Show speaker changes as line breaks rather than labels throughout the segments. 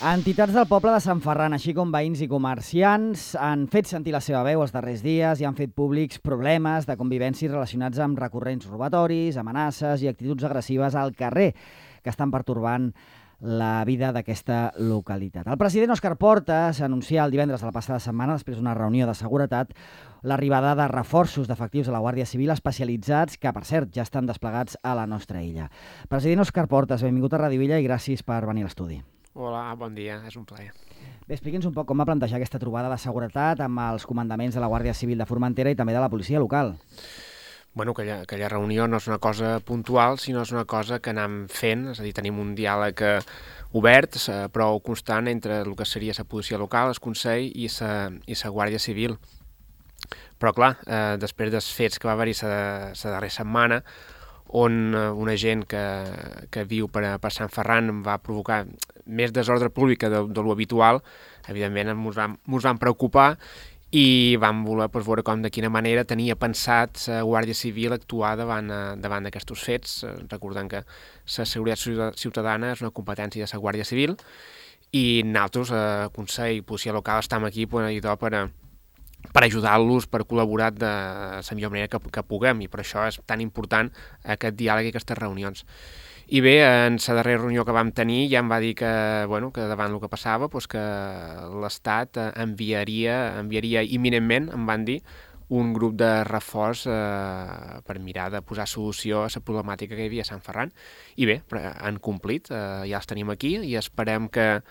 Entitats del poble de Sant Ferran, així com veïns i comerciants, han fet sentir la seva veu els darrers dies i han fet públics problemes de convivència relacionats amb recurrents robatoris, amenaces i actituds agressives al carrer que estan pertorbant la vida d'aquesta localitat. El president Òscar Portas anuncià el divendres de la passada setmana, després d'una reunió de seguretat, l'arribada de reforços d'efectius de la Guàrdia Civil especialitzats que, per cert, ja estan desplegats a la nostra illa. President Òscar Portas, benvingut a Radio Illa i gràcies per venir a l'estudi.
Hola, bon dia, és un plaer.
Bé, expliqui'ns un poc com va plantejar aquesta trobada de seguretat amb els comandaments de la Guàrdia Civil de Formentera i també de la policia local.
Bueno, aquella reunió no és una cosa puntual, sinó és una cosa que anem fent, és a dir, tenim un diàleg obert, prou constant entre el que seria la policia local, el Consell i la Guàrdia Civil. Però clar, després dels fets que va haver-hi la darrera setmana, on una gent que viu per Sant Ferran va provocar més desordre públic de lo habitual, evidentment ens vam preocupar i vam voler veure com de quina manera tenia pensat la Guàrdia Civil actuar davant d'aquests fets, recordant que la seguretat ciutadana és una competència de la Guàrdia Civil i nosaltres, Consell i Policia Local, estem aquí per ajudar-los, per col·laborar de la millor manera que puguem, i per això és tan important aquest diàleg i aquestes reunions. I bé, en la darrera reunió que vam tenir ja em va dir que davant el que passava, que l'Estat enviaria imminentment, em van dir, un grup de reforç per mirar de posar solució a la problemàtica que hi havia a Sant Ferran. I bé, han complit, ja els tenim aquí i esperem que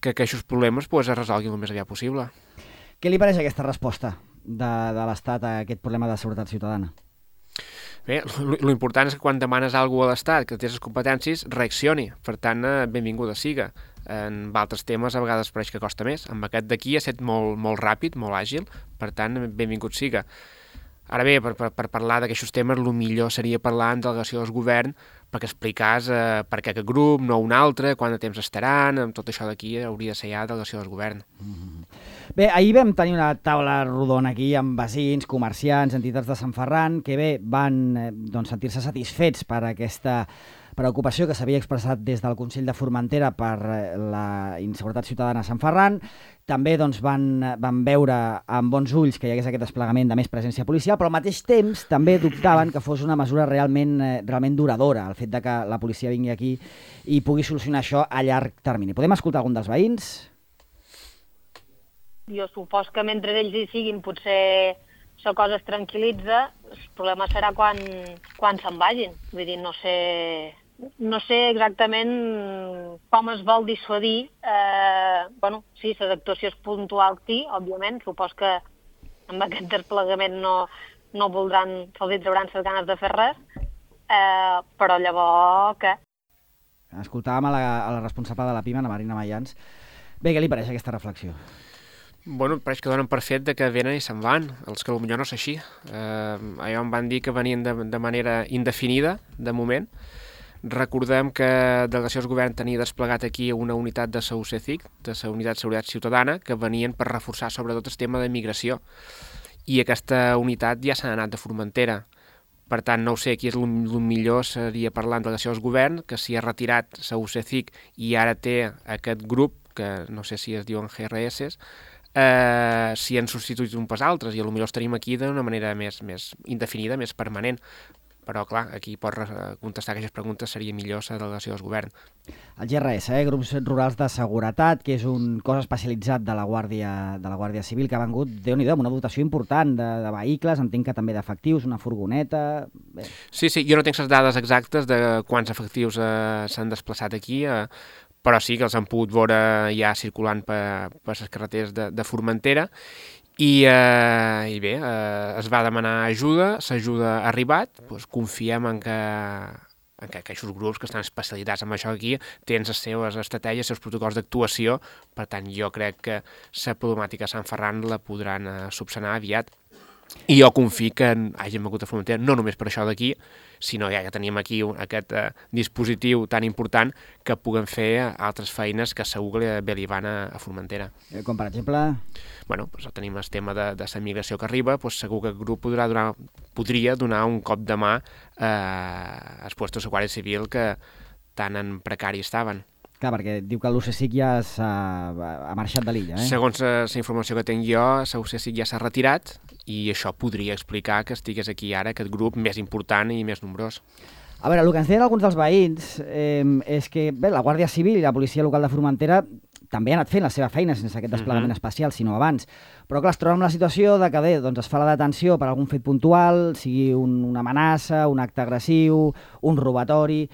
aquests problemes es resolguin el més aviat possible.
Què li pareix aquesta resposta de l'Estat a aquest problema de seguretat ciutadana?
Bé, l'important és que quan demanes alguna cosa a l'Estat, que té les competències, reaccioni. Per tant, benvinguda siga. En altres temes a vegades pareix que costa més. Amb aquest d'aquí ha estat molt ràpid, molt àgil, per tant, benvingut siga. Ara bé, per parlar d'aquests temes, el millor seria parlar en delegació del govern perquè explicàs per què aquest grup, no un altre, quant de temps estaran, amb tot això d'aquí hauria de ser ja delegació del govern.
Bé, ahir vam tenir una taula rodona aquí amb veïns, comerciants, entitats de Sant Ferran, que bé, van sentir-se satisfets per aquesta preocupació que s'havia expressat des del Consell de Formentera per la inseguretat ciutadana a Sant Ferran. També van veure amb bons ulls que hi hagués aquest desplegament de més presència policial, però al mateix temps també dubtaven que fos una mesura realment duradora, el fet de que la policia vingui aquí i pugui solucionar això a llarg termini. Podem escoltar algun dels veïns?
Jo supos que mentre ells hi siguin potser la cosa es tranquil·litza, el problema serà quan se'n vagin. Vull dir, no sé exactament com es vol dissuadir. Sí, les actuacions puntuals sí, òbviament. Supos que amb aquest desplegament no voldran, se'ls trauran les ganes de fer res, però llavors què?
Escoltàvem a la responsable de la PIMA, la Marina Mayans. Bé, què li pareix aquesta reflexió?
Bueno, pareix que donen per fet que venen i se'n van, els que potser no és així. Allò em van dir que venien de manera indefinida, de moment. Recordem que Delegació del Govern tenia desplegat aquí una unitat de la UCCIC, de la Unitat de Seguretat Ciutadana, que venien per reforçar sobretot el tema de migració. I aquesta unitat ja s'ha anat de Formentera. Per tant, no ho sé, aquí el millor seria parlar amb Delegació del Govern, que s'hi ha retirat la UCCIC i ara té aquest grup, que no sé si es diuen GRS, si han substituït un pas altres, i potser els tenim aquí d'una manera més indefinida, més permanent. Però, clar, aquí per contestar aquestes preguntes seria millor la delegació del govern.
El GRS, Grups Rurals de Seguretat, que és un cos especialitzat de la Guàrdia Civil, que ha vengut, Déu-n'hi-do, amb una dotació important de vehicles, entenc que també d'efectius, una furgoneta... Bé.
Sí, jo no tinc les dades exactes de quants efectius s'han desplaçat aquí, però sí que els han pogut veure ja circulant per les carreteres de Formentera i bé, es va demanar ajuda, l'ajuda ha arribat, confiem en que aquests grups que estan especialitzats en això aquí tenen les seves estratègies, els seus protocols d'actuació, per tant jo crec que la problemàtica de Sant Ferran la podran subsanar aviat. I jo confio que hàgim hagut a Formentera, no només per això d'aquí, sinó ja que tenim aquí aquest dispositiu tan important que puguem fer altres feines que segur que bé li van a Formentera.
Com per exemple?
Bueno, tenim el tema de la migració que arriba, segur que el grup podria donar un cop de mà als puestos de Guàrdia Civil que tan en precari estaven.
Clar, perquè diu que l'UCSIC ja ha marxat de l'illa,
Segons la informació que tinc jo, l'UCSIC ja s'ha retirat i això podria explicar que estigués aquí ara aquest grup més important i més nombrós.
A veure, el que ens deien alguns dels veïns és que la Guàrdia Civil i la policia local de Formentera també ha anat fent la seva feina sense aquest desplegament especial, sinó abans. Però clar, es troba amb la situació de que es fa la detenció per algun fet puntual, sigui una amenaça, un acte agressiu, un robatori,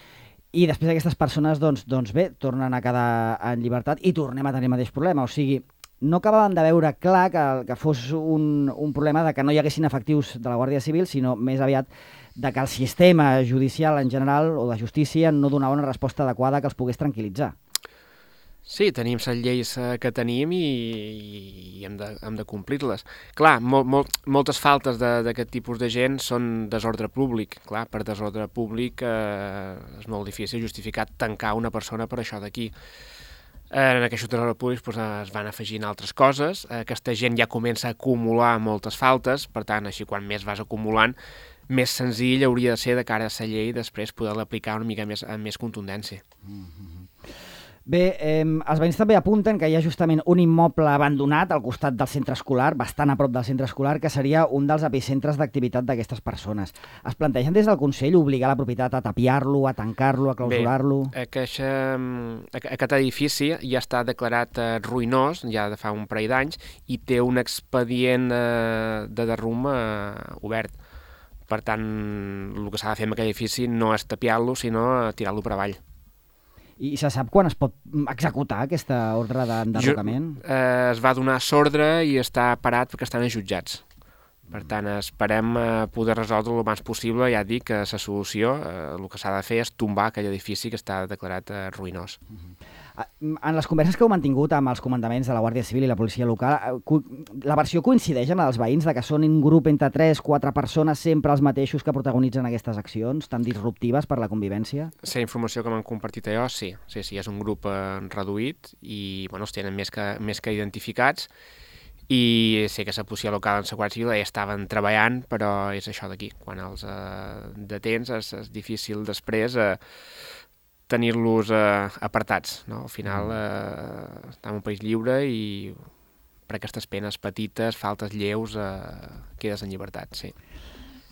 i després aquestes persones, tornen a quedar en llibertat i tornem a tenir el mateix problema. O sigui, no acabàvem de veure clar que fos un problema de que no hi haguessin efectius de la Guàrdia Civil, sinó més aviat de que el sistema judicial en general o de justícia no donava una resposta adequada que els pogués tranquil·litzar.
Sí, tenim les lleis que tenim i hem de complir-les. Clar, moltes faltes d'aquest tipus de gent són desordre públic. Clar, per desordre públic és molt difícil justificar tancar una persona per això d'aquí. En aquests desordres públics es van afegint altres coses. Aquesta gent ja comença a acumular moltes faltes, per tant, així quan més vas acumulant, més senzill hauria de ser de cara a la llei després poder-la aplicar una mica amb més contundència.
Bé, els veïns també apunten que hi ha justament un immoble abandonat al costat del centre escolar, bastant a prop del centre escolar, que seria un dels epicentres d'activitat d'aquestes persones. Es plantegen des del Consell obligar la propietat a tapiar-lo, a tancar-lo, a clausurar-lo?
Bé, aquest edifici ja està declarat ruïnós, ja de fa un parell d'anys, i té un expedient de derrum obert. Per tant, el que s'ha de fer amb aquell edifici no és tapiar-lo, sinó tirar-lo per avall.
I se sap quan es pot executar aquesta ordre d'enderrocament?
Es va donar l'ordre i està parat perquè estan jutjats. Per tant, esperem poder resoldre el més possible. Ja dic que la solució, el que s'ha de fer és tombar aquell edifici que està declarat ruïnós.
En les converses que heu mantingut amb els comandaments de la Guàrdia Civil i la policia local, la versió coincideix amb els veïns de que són un grup entre 3-4 persones sempre els mateixos que protagonitzen aquestes accions tan disruptives per la convivència?
La informació que m'han compartit jo, sí, és un grup reduït i els tenen més que identificats i sé que la policia local en la Guàrdia Civil ja estaven treballant, però és això d'aquí. Quan els detens és difícil després tenir-los apartats, no? Al final estem en un país lliure i per aquestes penes petites, faltes lleus, quedes en llibertat, sí.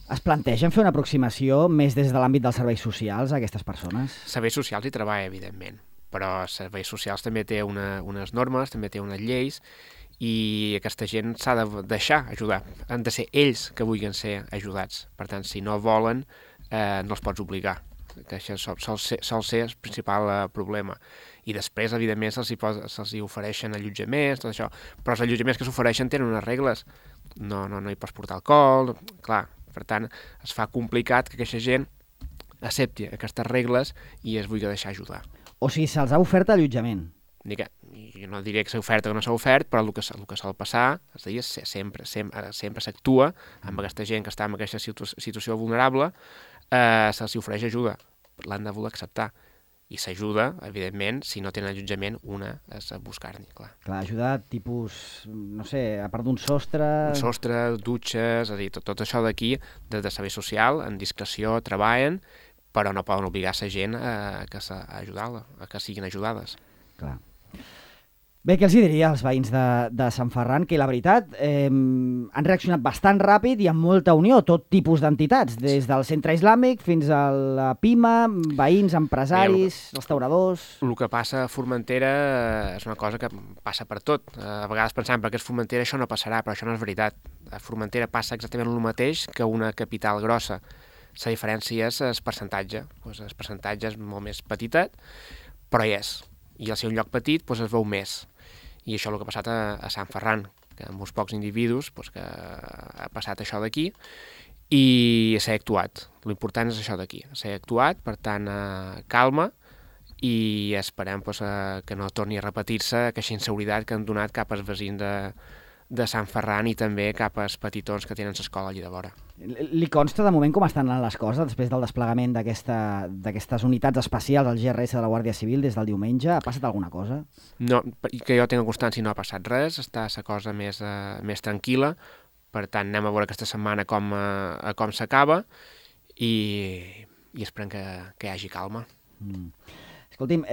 Es plantegen fer una aproximació més des de l'àmbit dels serveis socials a aquestes persones?
Serveis socials hi treballa, evidentment, però serveis socials també té unes normes, també té unes lleis i aquesta gent s'ha de deixar ajudar. Han de ser ells que vulguin ser ajudats. Per tant, si no volen, no els pots obligar, que això sol ser el principal problema. I després, evidentment, se'ls ofereixen allotjaments, tot això, però els allotjaments que s'ofereixen tenen unes regles. No hi pots portar alcohol, clar. Per tant, es fa complicat que aquesta gent accepti aquestes regles i es vulgui deixar ajudar.
O sigui, se'ls ha ofert allotjament?
Jo no diré que s'ha ofert o que no s'ha ofert, però el que sol passar, és a dir, sempre s'actua amb aquesta gent que està en aquesta situació vulnerable, se'ls ofereix ajuda, l'han de voler acceptar. I s'ajuda, evidentment, si no tenen allotjament, una és a buscar-n'hi, clar.
Clar, ajuda tipus, no sé, a part d'un sostre...
Un sostre, dutxes, és a dir, tot això d'aquí, de servei social, en discreció, treballen, però no poden obligar la gent a que siguin ajudades.
Clar. Bé, què els diria als veïns de Sant Ferran? Que la veritat han reaccionat bastant ràpid i amb molta unió, tot tipus d'entitats, des del centre islàmic fins a la PIMA, veïns, empresaris, restauradors...
El que passa a Formentera és una cosa que passa per tot. A vegades pensem que a Formentera això no passarà, però això no és veritat. A Formentera passa exactament el mateix que una capital grossa. La diferència és el percentatge. El percentatge és molt més petitet, però hi és. I al ser un lloc petit es veu més. I això és el que ha passat a Sant Ferran, que amb uns pocs individus que ha passat això d'aquí i s'ha actuat. L'important és això d'aquí, s'ha actuat, per tant, calma, i esperem que no torni a repetir-se aquesta inseguretat que han donat cap als veïns de Sant Ferran i també cap als petitons que tenen l'escola allà de vora.
Li consta de moment com estan anant les coses després del desplegament d'aquestes unitats especials al GRS de la Guàrdia Civil des del diumenge? Ha passat alguna cosa?
No, que jo tinc constància no ha passat res, està la cosa més tranquil·la, per tant anem a veure aquesta setmana com s'acaba i esperem que hi hagi calma.
Escolti'm,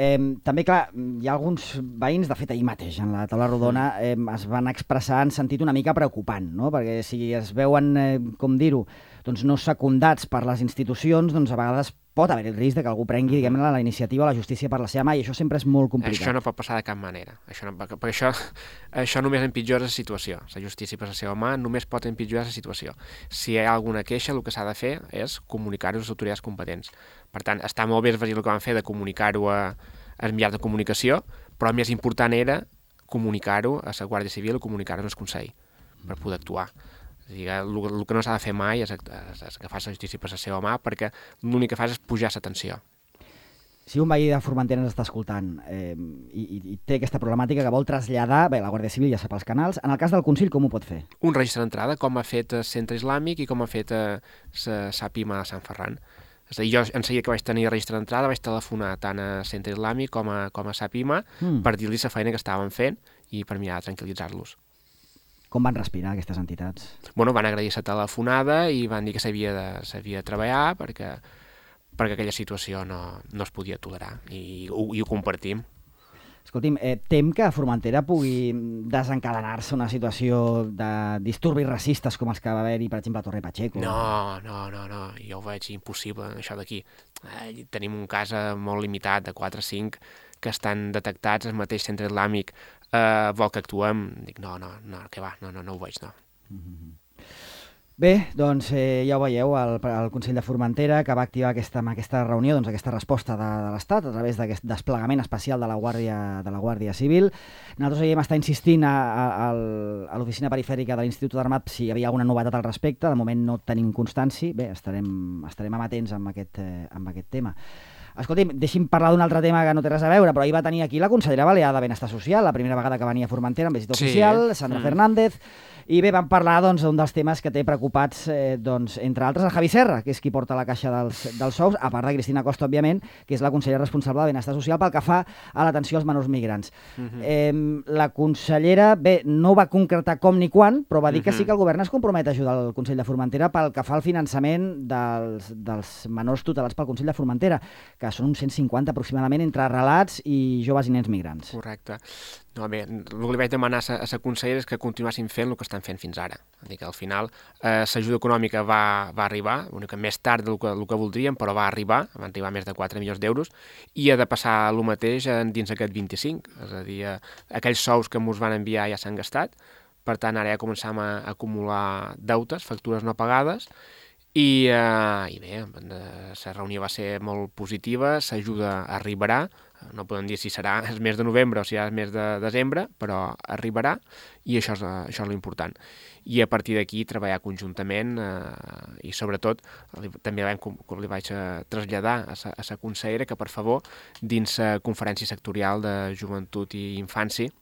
també, clar, hi ha alguns veïns, de fet, ahir mateix, en la taula rodona, es van expressar en sentit una mica preocupant, no? Perquè si es veuen, com dir-ho, doncs no secundats per les institucions, doncs a vegades pot haver el risc de que algú prengui, diguem-ne, la iniciativa o la justícia per la seva mà, i això sempre és molt complicat.
Això no pot passar de cap manera. Perquè això només empitjora la situació. La justícia per la seva mà només pot empitjorar la situació. Si hi ha alguna queixa, el que s'ha de fer és comunicar-ho a les autoritats competents. Per tant, està molt bé el que van fer de comunicar-ho als mitjans de comunicació, però el més important era comunicar-ho a la Guàrdia Civil o comunicar-ho al Consell per poder actuar. El que no s'ha de fer mai és agafar la justícia per la seva mà, perquè l'únic que fas és pujar la tensió.
Si un veí de Formentera ens està escoltant i té aquesta problemàtica que vol traslladar, bé, la Guàrdia Civil ja sap els canals, en el cas del Consell com ho pot fer?
Un registre d'entrada, com ha fet el Centre Islàmic i com ha fet la SAPIMA de Sant Ferran. És a dir, jo en seguida que vaig tenir registre d'entrada vaig telefonar tant a Centre Islàmic com a SAPIMA per dir-li la feina que estaven fent i per mirar de tranquil·litzar-los.
Com van respirar aquestes entitats?
Bueno, van agrair la telefonada i van dir que s'havia de treballar perquè aquella situació no es podia tolerar i ho compartim.
Escolti'm, tem que a Formentera pugui desencadenar-se una situació de disturbis racistes com els que va haver-hi, per exemple, a Torre Pacheco?
No, jo ho veig impossible, això d'aquí. Tenim un cas molt limitat, de 4 o 5, que estan detectats, el mateix Centre Islàmic vol que actuem. Dic, no, que va, no ho veig, no.
Bé, doncs ja ho veieu, el Consell de Formentera, que va activar aquesta reunió, doncs, aquesta resposta de l'Estat a través d'aquest desplegament especial de la Guàrdia Civil. Nosaltres ahir estar insistint a l'oficina perifèrica de l'Institut d'Armat si hi havia alguna novetat al respecte. De moment no tenim constància. Bé, estarem amatents amb aquest tema. Escolti'm, deixi'm parlar d'un altre tema que no té res a veure, però ahir va tenir aquí la consellera balear de Benestar Social, la primera vegada que venia a Formentera amb visita oficial, Sandra Fernández, i bé, vam parlar d'un dels temes que té preocupats, entre altres, el Javi Serra, que és qui porta la caixa dels sous, a part de Cristina Costa, òbviament, que és la consellera responsable de Benestar Social pel que fa a l'atenció als menors migrants. La consellera, bé, no va concretar com ni quan, però va dir que sí que el govern es compromet a ajudar el Consell de Formentera pel que fa al finançament dels menors tutelats pel Consell de Formentera, que són uns 150 aproximadament entre relats i joves i nens migrants.
Correcte. No, bé, el que li vaig demanar a la consellera és que continuessin fent el que estan fent fins ara. És dir, que al final l'ajuda econòmica va arribar, una mica més tard del que voldríem, però van arribar més de 4 milions d'euros, i ha de passar el mateix dins aquest 25. És a dir, aquells sous que ens van enviar ja s'han gastat, per tant ara ja començam a acumular deutes, factures no pagades, i bé, la reunió va ser molt positiva, l'ajuda arribarà, no podem dir si serà el mes de novembre o si serà el mes de desembre, però arribarà, i això és l'important. I a partir d'aquí treballar conjuntament i sobretot també li vaig traslladar a la consellera que per favor dins la conferència sectorial de joventut i infància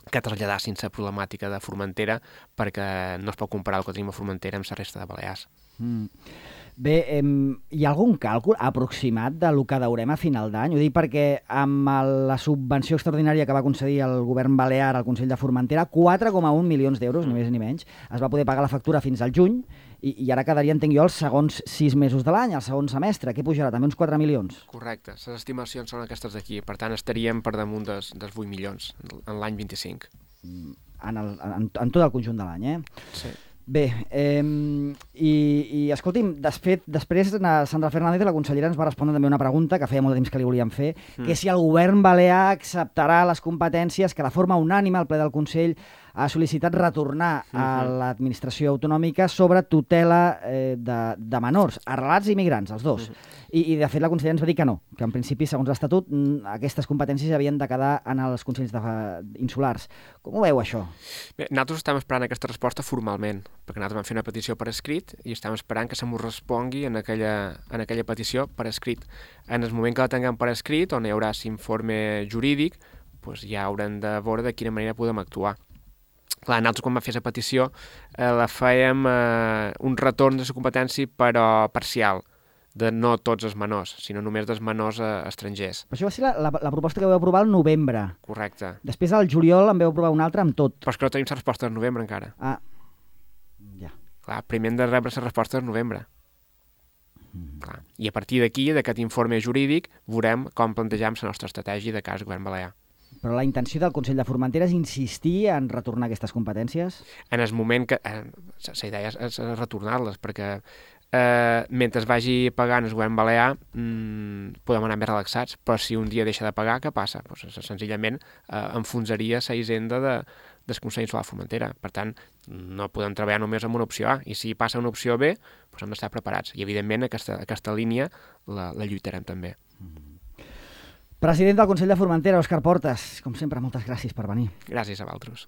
que traslladassin la problemàtica de Formentera perquè no es pot comparar el que tenim a Formentera amb la resta de Balears.
Bé, hi ha algun càlcul aproximat del que deurem a final d'any? Ho dic perquè amb la subvenció extraordinària que va concedir el govern balear al Consell de Formentera, 4,1 milions d'euros, ni més ni menys, es va poder pagar la factura fins al juny i ara quedaria, entenc jo, els segons 6 mesos de l'any, el segon semestre. Què pujarà? També uns 4 milions?
Correcte. Les estimacions són aquestes d'aquí. Per tant, estaríem per damunt dels 8 milions en l'any 25.
En tot el conjunt de l'any,
Sí.
Bé, i escolti'm, després Sandra Fernández, la consellera, ens va respondre també una pregunta que feia molt de temps que li volíem fer, que si el govern balear acceptarà les competències que de forma unànime el ple del Consell ha sol·licitat retornar a l'administració autonòmica sobre tutela de menors, arrelats i migrants, els dos. I de fet la consellera ens va dir que no, que en principi, segons l'Estatut, aquestes competències havien de quedar en els consells insulars. Com ho veu, això?
Bé, nosaltres estem esperant aquesta resposta formalment, perquè nosaltres vam fer una petició per escrit i estem esperant que se m'ho respongui en aquella petició per escrit. En el moment que la tinguem per escrit, on hi haurà l'informe jurídic, doncs ja haurem de veure de quina manera podem actuar. Clar, nosaltres quan vam fer la petició la fèiem un retorn de la competència però parcial, de no tots els menors, sinó només dels menors estrangers.
Però això va ser la proposta que vau aprovar al novembre.
Correcte.
Després al juliol en vau aprovar una altra amb tot.
Però és que no tenim la resposta del novembre encara.
Ah, ja.
Clar, primer hem de rebre la resposta del novembre. Clar. I a partir d'aquí, d'aquest informe jurídic, veurem com plantegem la nostra estratègia de cas govern balear.
Però la intenció del Consell de Formentera és insistir en retornar aquestes competències?
En el moment que... la idea és retornar-les, perquè mentre es vagi pagant el govern balear podem anar més relaxats, però si un dia deixa de pagar, què passa? Pues, senzillament enfonsaria la hisenda del Consell Insular Formentera. Per tant, no podem treballar només amb una opció A, i si passa una opció B, doncs hem d'estar preparats. I, evidentment, aquesta línia la lluitarem també.
President del Consell de Formentera, Òscar Portas, com sempre, moltes gràcies per venir.
Gràcies a vosaltres.